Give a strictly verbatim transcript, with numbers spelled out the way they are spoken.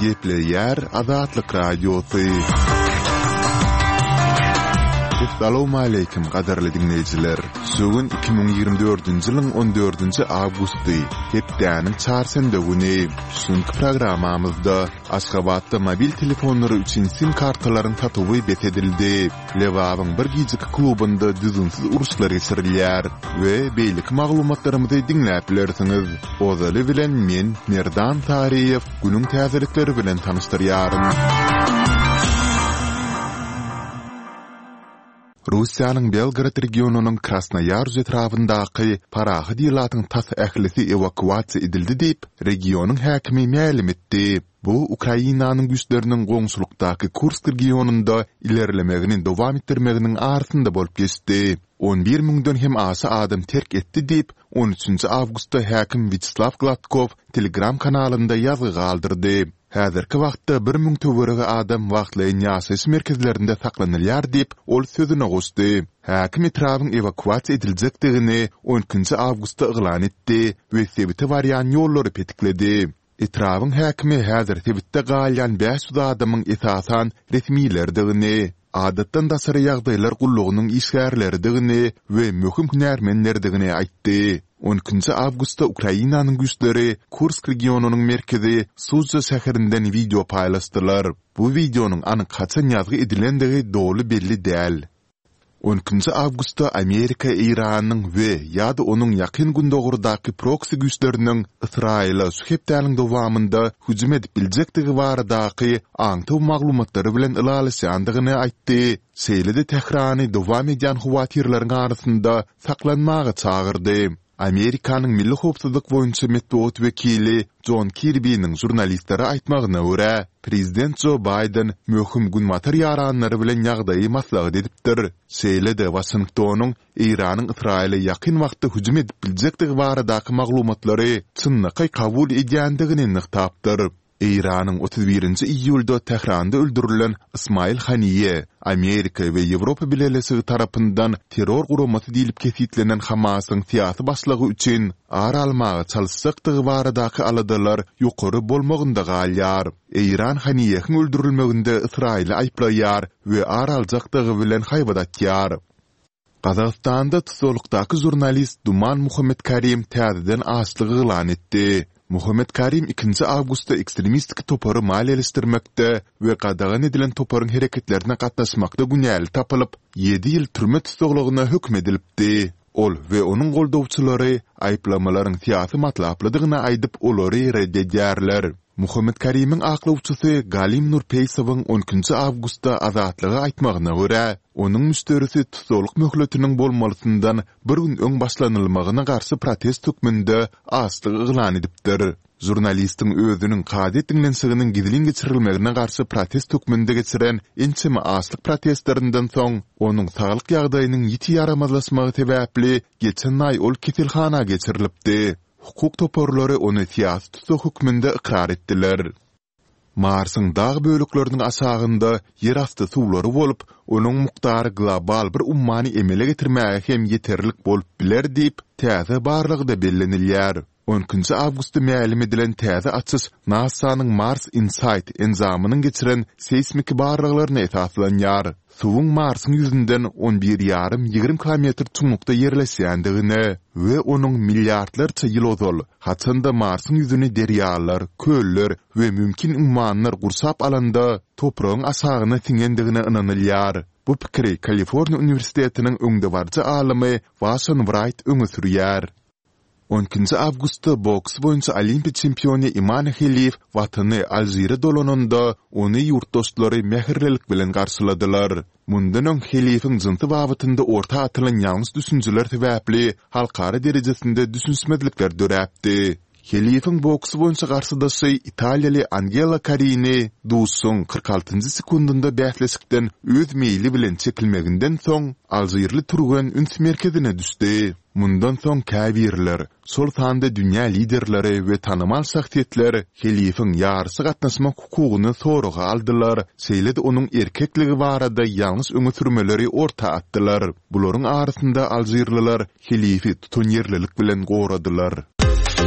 Gepleýär Azatlyk Radiosy. Essalawmaleýkim gadyrly diňleýjiler! Şu gün iki müň ýigrimi dördünji ýylyň on dördünji awgusty, hepdäniň çarşenbe güni. Şu günki programmamyzda Aşgabatda mobil telefonlary üçin sim kartalaryň satuwy bes edildi, Lebabyň bir gijeki klubynda düzgünsiz uruşlar geçirilýär we beýleki maglumatlarymyzy diňläp bilersiňiz. Ozaly bilen men, Merdan Saryýew, günüň täzelikleri bilen tanyşdyrýaryn. Russiýanyň Belgorod regionynyň Krasnoýaruz etrabyndaky parahat ilatyň tas ählisi ewakuasiýa edildi diýip, regionyň häkimi mälim etdi. Bu Ukrainanyň güýçleriniň goňşulykdaky Kursk regionynda ilerlemegini dowam etdirmeginiň arasynda bolup geçdi. On bir müňden hem aşa adam terk etdi diýip, on üçünji awgustda häkim Wýaçeslaw Gladkow Telegram kanalynda ýazgy galdyrdy. Häzirki wagtda bir müň töweregi adam wagtlaýyn ýaşaýyş merkezlerinde saklanylýar diýip, ol sözüne goşdy. Häkim etrabyň ewakuasiýa ediljekdigini on ikinji awgustda yglan etdi we sebite barýan ýollary petikledi. Etrabyň häkimi häzir sebitde galýan bäş ýüz adamyň esasan resmilerdigini, adatdan daşary ýagdaýlar gullugynyň işgärleridigini we möhüm hünärmenlerdigini aýtdy. On ikinji awgustda Ukrainanyň güýçleri Kursk regionynyň merkezi Sudzha şäherinden wideo paýlaşdylar. Bu wideonyň anyk haçan ýazgy edilendigi doly belli däl. On ikinji awgustda Amerika Eýranyň we ýa-da onuň Ýakyn Gündogardaky proksi güýçleriniň Ysraýyla şu hepdäniň dowamynda hüjüm edip biljekdigi baradaky aňtaw maglumatlary bilen ylalaşýandygyny aýtdy, şeýle-de Tährany dowam edýän howatyrlaryň arasynda saklanmaga çagyrdy. Amerikanyň Milli howpsuzlyk boýunça metbugat wekili Jon Kirbiniň žurnalistlere aýtmagyna görä, prezident Jo Baýden möhüm günbatar ýaranlary bilen ýagdaýy maslahat edipdir, şeýle-de Waşingtonyň Eýranyň Ysraýyla ýakyn wagtda hüjüm edip biljekdigi baradaky maglumatlary çynlakaý kabul edýändigini nygtapdyr. Eýranyň otuz birinji iýulda Tähranda öldürilen Ysmaýyl Haniýe, Amerika we Ýewropa Bileleşigi tarapyndan terror guramasy diýlip kesgitlenen Hamasyň syýasy başlygy üçin ar almaga çalyşjakdygy baradaky aladalar ýokary bolmagynda galýar. Eýran Haniýehiň öldürilmeginde Ysraýyly aýyplaýar we ar aljakdygy bilen haýbat atýar. Gazagystanda tussaglykdaky žurnalist Duman Muhammetkarim täzeden açlyk yglan etdi. Muhammetkarim ikinji awgustda ekstremistik topary maliýeleşdirmekde we gadagan edilen toparyň hereketlerine gatnaşmakda günäli tapylyp, ýedi ýyl türme tussaglygyna höküm edilipdi. Ol we onuň goldawçylary aýyplamalaryň syýasy matlaplydygyny aýdyp, olary ret edýärler. Muhammetkarimiň aklawçysy Galim Nurpeýsowyň on ikinji awgustda Azatlyga aýtmagyna görä, onuň müşderisi tussaglyk möhletiniň bolmalysyndan bir gün öň başlanylmagyna garşy protest hökmünde açlyk yglan edipdir. Žurnalistiň özüniň kazyýet diňlenişiginiň gizlin geçirilmegine garşy protest hökmünde geçiren ençeme açlyk protestlerinden soň, onuň saglyk ýagdaýynyň ýiti ýaramazlaşmagy sebäpli geçen aý ol keselhana geçirilipdi. Hukuk toparlary ony syýasy tussag hökmünde ykrar etdiler. Marsyň dag bölekleriniň aşagynda ýerasty suwlary bolup, onuň mukdary global bir ummany emele getirmäge hem ýeterlik bolup biler diýip, täze barlagda bellenilýär. On ikinji awgustda mälim edilen täze açyş NASA-nyň Mars InSight enjamynyň geçiren seýsmiki barlaglaryna esaslanýar. Suwuň Marsyň ýüzünden on bir ýarym-ýigrimi kilometr çuňlukda ýerleşýändigine we onuň milliardlarça ýyl ozal, haçan-da Marsyň ýüzüni derýalar, köller we mümkin ummanlar gurşap alanda, topragyň aşagyna siňendigine ynanylýar. Bu pikiri Kaliforniýa uniwersitetiniň öňdebaryjy alymy Waşon Wraýt öňe sürýär. On ikinji awgustda boks boýunça Olimpiýa çempiony Imane Heliw watany Alžire dolananda, ony ýurtdaşlary mähirlilik bilen garşyladylar. Mundan öň Heliwiň jynsy babatynda orta atylan ýalňyş düşünjeler sebäpli halkara derejesinde düşünişmezlikler döräpdi. Heliwiň boks boýunça garşydaşy italiýaly Angela Karini duşuşygyň kyrk altynjy sekundynda bäsleşikden öz meýli bilen çekilmeginden soň, alžirli türgen üns merkezine düşdi. Mundan soň käbirler, şol sanda dünýä liderleri we tanymal şahsyýetler helifiň ýaryşa gatnaşmak hukugyny soraga aldylar, şeýle-de onuň erkekligi barada ýalňyş öňe sürmeleri orta atdylar. Bularyň arasynda alžirliler helifi tutanýerlilik bilen goradylar.